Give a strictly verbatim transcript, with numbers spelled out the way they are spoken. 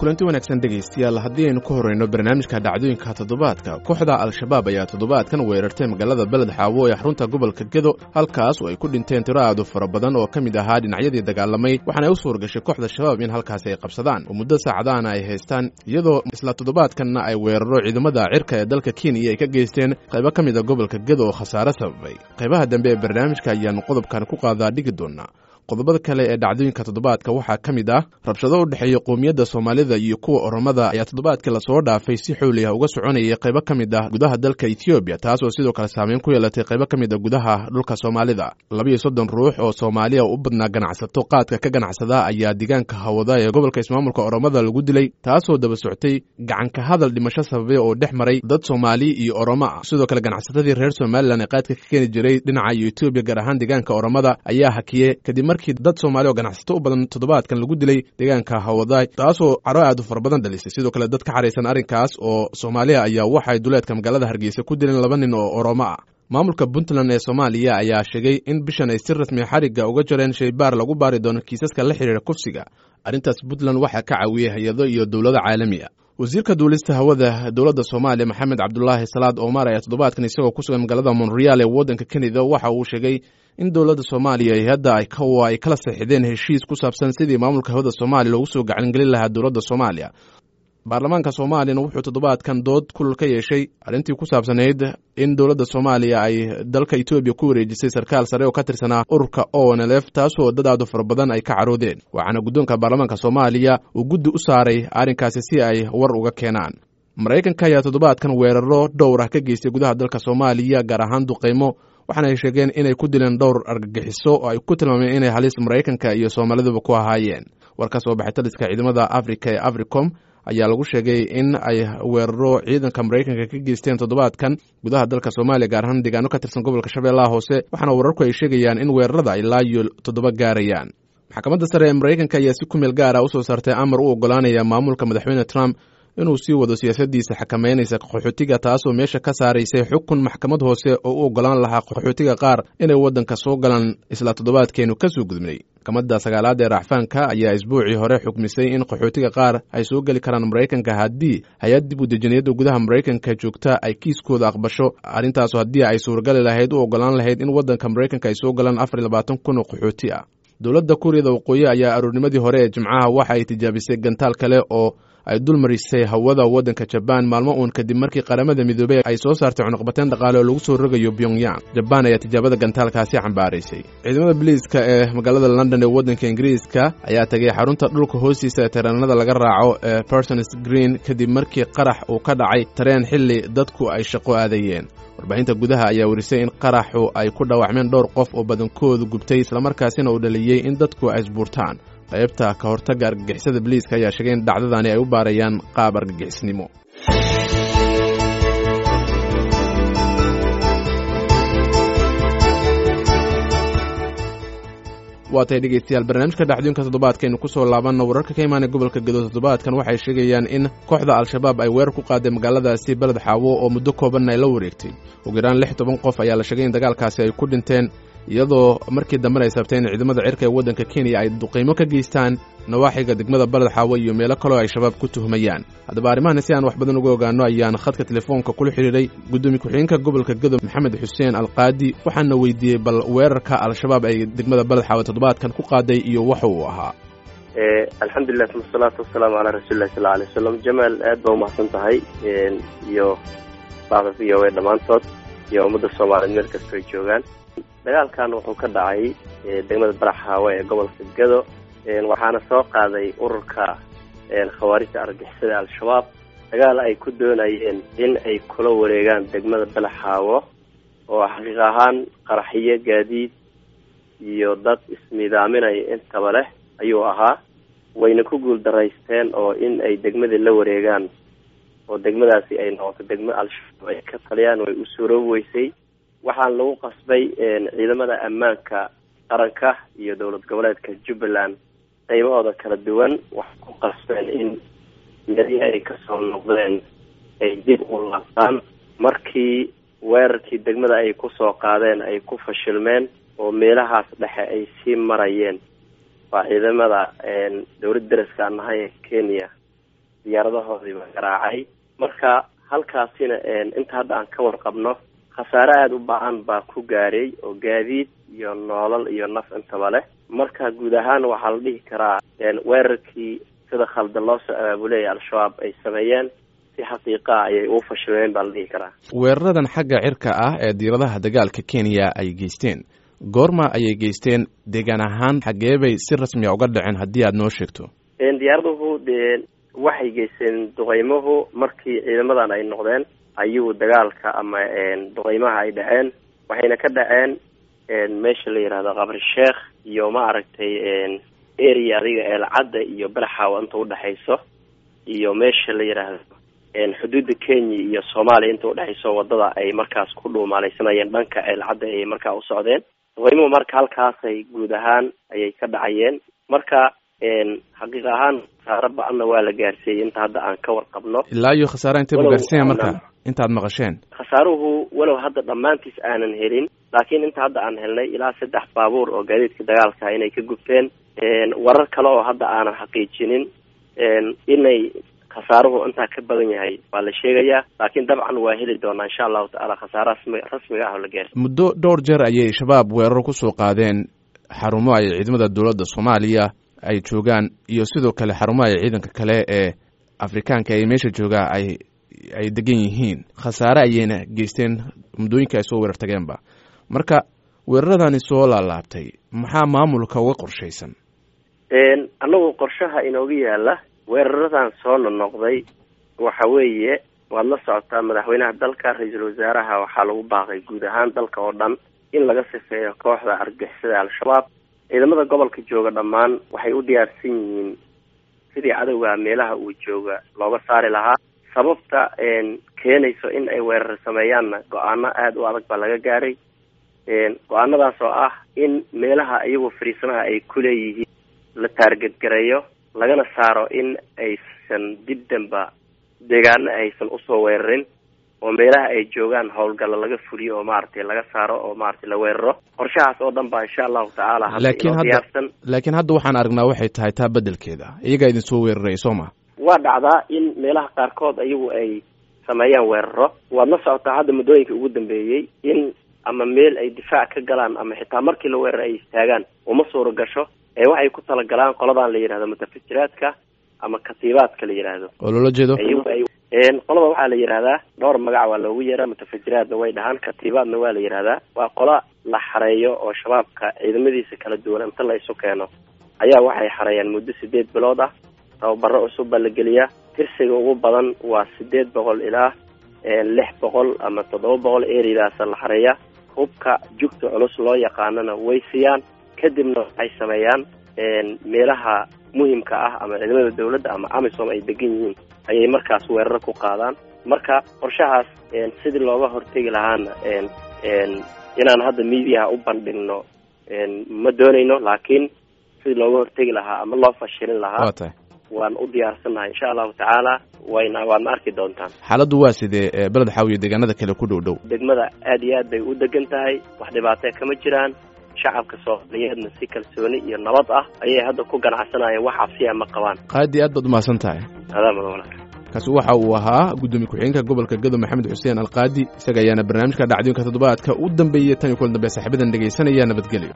Kulanti wanaagsan dhegaystayaal, haddii aynu ku horeyno barnaamijka dhacdooyinka toddobaadka, kooxda Al-Shabaab ayaa toddobaadkan weerartay magaalada Beled Xaawo ee xarunta gobolka Gedo, halkaas oo ay ku dhinteen tiro aad u fara badan oo ka mid ahaa dhinacyadii dagaalamay. Waxaana ay u suurgashay kooxda Shabaab in halkaasi ay qabsadaan oo muddo saacadaana ay haystaan, iyadoo isla toddobaadkanna ay weeraro ciidamada cirka ee dalka Kenya ay ka geysteen qaybo ka mid a gobolka Gedo oo khasaare sababay. Qaybaha dambe ee barnaamijka ayaanu qodobkan ku qaadaa dhigi doonaa. Qodobada kale ee dhacdooyinka toddobaadka waxaa ka mid ah rabshado u dhexeeya qowmiyadda Soomaalida iyo kuwa Oromada ayaa toddobaadkii lasoo dhaafay si xooliah uga soconayay qaybo ka mid ah gudaha dalka Etoobiya, taas oo sidoo kale saameyn ku yeelatay qaybo ka mid a gudaha dhulka Soomaalida. Labiiyo soddon ruux oo Soomaaliya u badnaa ganacsato qaadka ka ganacsada ayaa deegaanka Hawada ee gobolka ismaamulka Oromada lagu dilay, taasoo daba soctay gacanka hadal dhimasho sababay oo dhex maray dad Soomaali iyo Oromo ah. Sidoo kale ganacsatadii reer Somalilan ee qaadka ka keeni jiray dhinaca iyo Etoobiya, gaar ahaan deegaanka Oromada, ayaa hakiyey kadib markii dad Soomaali oo ganacsato u badan toddobaadkan lagu dilay deegaanka Hawadaay, taasoo caro aad u fara badan dhalisay. Sidoo kale dad ka xaraysan arrinkaas oo Soomaaliya ayaa waxay duleedka magaalada Hargeysa ku dileen laba nin oo Oromo ah. Maamulka Puntland ee Soomaaliya ayaa sheegay in bishan ay si rasmi xarigga uga jareen shaybaar lagu baari doono kiisaska la xiriira kufsiga. Arrintaas Puntland waxaa ka caawiyey hay-ado iyo dowlado caalami ah. Wasiirka duulista hawada dowladda Soomaaliya Maxamed Cabdulaahi Salaad Omar ayaa toddobaadkan isagoo ku sugan magaalada Montreal ee waddanka Canada waxa uu sheegay in dowladda Soomaaliya iyo hadda ay ay kala saxiixdeen heshiis ku saabsan sidii maamulka hawada Soomaaliya loogu soo gacangelin lahaa dowladda Soomaaliya. Baarlamaanka Soomaaliyana wuxuu toddobaadkan dood kulul ka yeeshay arrintii ku saabsanayd in dowladda Soomaaliya ay dalka Etoobiya ku wareejisay sarkaal sare oo ka tirsanaa ururka O N L F, taasoo dad aad u fara badan ay ka caroodeen. Waxaana guddoonka baarlamaanka Soomaaliya uu guddi u saaray arrinkaasi si ay war uga keenaan. Maraykanka ayaa toddobaadkan weeraro dhowr ah ka geystay gudaha dalka Soomaaliya, gaar ahaan duqeymo, waxaana ay sheegeen inay ku dileen dhowr argagixiso oo ay ku tilmaameen inay halis Maraykanka iyo Soomaaliduba ku ahaayeen. War ka soo baxay taliska ciidamada Afrika ee Africom ayaa lagu sheegay in ay weeraro ciidanka Maraykanka ka geysteen toddobaadkan gudaha dalka Soomaaliya, gaar ahaan deegaano ka tirsan gobolka Shabeellaha Hoose, waxaana wararku ay sheegayaan in weerarada ilaa iyo toddoba gaarayaan. Maxkamadda sare ee Maraykanka ayaa si ku meel gaara usoo saartay amar u ogolaanaya maamulka madaxweyne Trump inuu sii wado siyaasadiisa xakameynaysa qaxootiga, taasoo meesha ka saaraysay xukun maxkamad hoose oo u ogolaan lahaa qaxootiga qaar inay waddanka soo galaan isla toddobaadkeenu ka soo gudbnay. Maxkamadda sagaalaad ee racfaanka ayaa isbuucii hore xukmisay in qaxootiga qaar ay soo geli karaan Maraykanka haddii hay-ad dib u dejiniyadda gudaha Maraykanka joogta ay kiiskooda aqbasho. Arrintaasu haddii ay suuragali lahayd u ogolaan lahayd in waddanka Maraykanka ay soo galaan afar iyo labaatan kun oo qaxooti ah. Dowladda Kuuriyada Waqooyi ayaa aroornimadii hore ee Jimcaha waxa ay tijaabisay gantaal kale oo ay dul marisay hawada waddanka Jabaan, maalmo uun kadib markii Qaramada Midoobey ay soo saartay cunuqbateen dhaqaale oo lagu soo rogayo Pyongyang. Jabaan ayaa tijaabada gantaalkaasi cambaaraysay. Ciidamada biliiska ee magaalada London ee waddanka Ingiriiska ayaa tagay xarunta dhulka hoostiisa ee tareenada laga raaco ee Parsons Green kadib markii qarax uu ka dhacay tareen xilli dadku ay shaqo aadayeen. Warbaahinta gudaha ayaa werisay in qaraxu ay ku dhaawacmeen dhowr qof oo badankoodu gubtay, islamarkaasina uu dhaliyey in dadku ay isbuurtaan. Qaybta ka hortagga argagixisada biliiska ayaa sheegay in dhacdadani ay u baarayaan qaab argagixisnimo. Waa tahay dhegeystayaal, barnaamijka dhacdooyinka toddobaadkaaynu ku soo laabanno. Wararka ka imaanaya gobolka Gedo toddobaadkan waxay sheegayaan in kooxda Al-Shabaab ay weerar ku qaaday magaaladaasi Beled Xaawo oo muddo koobanna ay la wareegtay. Ugu yaraan lix toban qof ayaa la sheegay in dagaalkaasi ay ku dhinteen, iyadoo markii dambena ay sabtay in ciidamada cirka ee waddanka Kenya ay duqeymo ka geystaan nawaaxiga degmada Baled Xaawo iyo meelo kaloo ay Shabaab ku tuhmayaan. Haddaba arrimahan si aan wax badan uga ogaano ayaan khadka telefoonka kula xidhiiray guddoomiye ku-xigeenka gobolka Gedo Maxamed Xuseen Alqaadi, waxaana weydiiyey bal weerarka Al-Shabaab ay degmada Baled Xaawo toddobaadkan ku qaaday iyo waxa uu ahaa. Alxamdulilah, uma asalaatu wasalaamu calaa rasuulillahi sal alay wasalam. Jamaal, aad baa umahadsan tahay iyo bacda V O A dhammaantood iyo ummadda Soomaaliyeed meel kastoo ay joogaan. Dagaalkan wuxuu ka dhacay degmada Baraxaawe ee gobolka Gedo, waxaana soo qaaday ururka khawaarijta argagixisada Al-Shabaab dagaal ay ku doonayeen in ay kula wareegaan degmada Balaxaawo oo xaqiiq ahaan qaraxiyo gaadiid iyo dad isnidaaminaya intaba leh ayuu ahaa. Wayna ku guul daraysteen oo in ay degmadii la wareegaan oo degmadaasi ay noqoto degmo Al-Shabaab ay ka taliyaan way u suuroobi weysay. Waxaan lagu qasbay ciidamada ammaanka qaranka iyo dowlad goboleedka Jubbaland qaybahooda kala duwan waxay ku qasbeen in meelihii ay kasoo noqdeen ay dib u laabtaan. Markii weerarkii degmada ay kusoo qaadeen ay ku fashilmeen oo meelahaas dhexe ay sii marayeen, waa ciidamada dowladda dariska aan nahay ee Kenya diyaaradahoodiiba garaacay. Marka halkaasina inta hadda aan ka warqabno khasaare aada u ba-an baa ku gaaray oo gaadiid iyo noolal iyo naf intaba leh. Marka guud ahaan waxaa la dhihi karaa weerarkii sida khaldan loo soo abaabulaya Al-Shabaab ay sameeyeen si xaqiiqa ayay ugu fashilmeen baa la dhihi karaa. Weeraradan xagga cirka ah ee diiradaha dagaalka Kenya ay geysteen, goorma ayay geysteen? Deegaan ahaan xaggee bay si rasmiya uga dhaceen haddii aad noo sheegto? Diyaaraduhu dee waxay geysteen duqeymuhu markii ciidamadan ay noqdeen ayuu dagaalka ama duqeymaha ay dhaceen, waxayna ka dhaceen meesha la yihahdo Qabri Sheekh iyo ma aragtay area adiga Eelcadda iyo Balaxaawa inta udhexayso, iyo meesha la yidhaahdo xuduudda Kenya iyo Soomaaliya inta udhexayso, wadada ay markaas ku dhuumaaleysanayeen dhanka Eelcadda ayay markaa u socdeen. Duqeymuhu marka halkaasay guud ahaan ayay ka dhacayeen. Marka xaqiiq ahaan khasaare ba-anna waa la gaarsiiyey inta hadda aan ka warqabno. Ilaa iyo khasaare intee buu gaarsiinya marka intaad maqasheen? Khasaaruhu walow hadda dhammaantiis aanan helin, laakiin inta hadda aan helnay ilaa saddex baabuur oo gaadiidka dagaalka inay ka gubteen, warar kale oo hadda aanan xaqiijinin inay khasaaruhu intaa ka badan yahay waa la sheegayaa, laakiin dabcan waa heli doonaa insha allahu tacaala khasaaraha rasmi rasmiga ah oo la gaarsiy. Muddo dhowr jeer ayay Shabaab weerar kusoo qaadeen xarumo ay ciidamada dowladda Soomaaliya ay joogaan iyo sidoo kale xarumo ay ciidanka kale ee Afrikaanka ay meesha joogaa ay ay degan yihiin. Khasaare ayayna geysteen muddooyinka ay soo weerar tageenba. Marka weeraradani soo laalaabtay, maxaa maamulka uga qorshaysan? Annagu qorshaha inooga yaala weeraradan soo nonoqday waxa weeye, waad la socotaa madaxweynaha dalka, ra-iisul wasaaraha waxaa lagu baaqay guud ahaan dalka oo dhan in laga sifeeyo kooxda argagixisada Al-Shabaab. Ciidamada gobolka jooga dhammaan waxay u diyaarsan yihiin sidii cadowga meelaha uu jooga looga saari lahaa. Sababta keenayso in ay weerar sameeyaanna go-aano aada u adag baa laga gaaray. Go-aanadaas oo ah in meelaha iyagu fariisanaha ay ku leeyihiin la taargetgareeyo, lagana saaro in aysan dib damba deegaano aysan usoo weerarin, oo meelaha ay joogaan howlgalla laga fuliyo oo maaragtay laga saaro oo maaragtay la weeraro. Qorshahaas oo dhan baa insha allahu tacaala hadda laakiin inoo hadda diyaarsan. Laakiin hadda waxaan aragnaa waxay tahay taa beddelkeeda iyagaa idin soo weeraraya, soo ma? Waa dhacdaa in meelaha qaarkood iyagu ay sameeyaan weeraro. Waad la socotaa hadda muddooyinka ugu dambeeyey in ama meel ay difaac ka galaan ama xitaa markii la weerar ay istaagaan uma suura gasho, ee waxay ku talagalaan qoladan la yidhahdo mutafajiraadka ama katiibaadka la yidhaahdo oo loola jeedo iyagu ay qolada waxaa la yidhahdaa dhowr magac waa loogu yeeraa, mutafajiraadna way dhahaan, katiibaadna waa la yidhahdaa. Waa qola la xareeyo oo shabaabka ciidamadiisa kala duwan inta la isu keeno ayaa waxay xareeyaan muddo sideed bilood ah. Tababaro cusub baa la geliyaa. Tirsiga ugu badan waa sideed boqol ilaa lix boqol ama toddoba boqol eridaasa la xareeyaa. Hubka jugta culus loo yaqaanana way siiyaan. Kadibna waxay sameeyaan meelaha muhimka ah ama ciidamada dowladda ama AMISOM ay degan yihiin ayay markaas weeraro ku qaadaan. Marka qorshahaas sidii looga hortegi lahaana inaan hadda miidiyaha u bandhigno ma doonayno, laakiin sidii looga hortegi lahaa ama loo fashilin lahaa waa tahay waan u diyaarsannahay insha allahu tacaala, wayna waadna arki doontaan. Xaaladdu waa sidee Beled Xaawiyo deegaanada kale ku dhow dhow? Degmada aada iyo aad bay u degan tahay, wax dhibaatee kama jiraan. Shacabka Soomaaliyeedna si kalsooni iyo nabad ah ayay hadda ku ganacsanayeen, wax cabsiya ma qabaan. Qaadi, aad baad umahadsan tahay. Adaa mudan walaal. Kaasi waxa uu ahaa guddoomiye ku-xigeenka gobolka Gado Maxamed Xuseen Alqaadi, isaga ayaana barnaamijka dhacdooyinka toddobaadka u dambeeyey. Tan iyo kulan dambe saaxiibadan dhegaysanaya, nabadgelyo.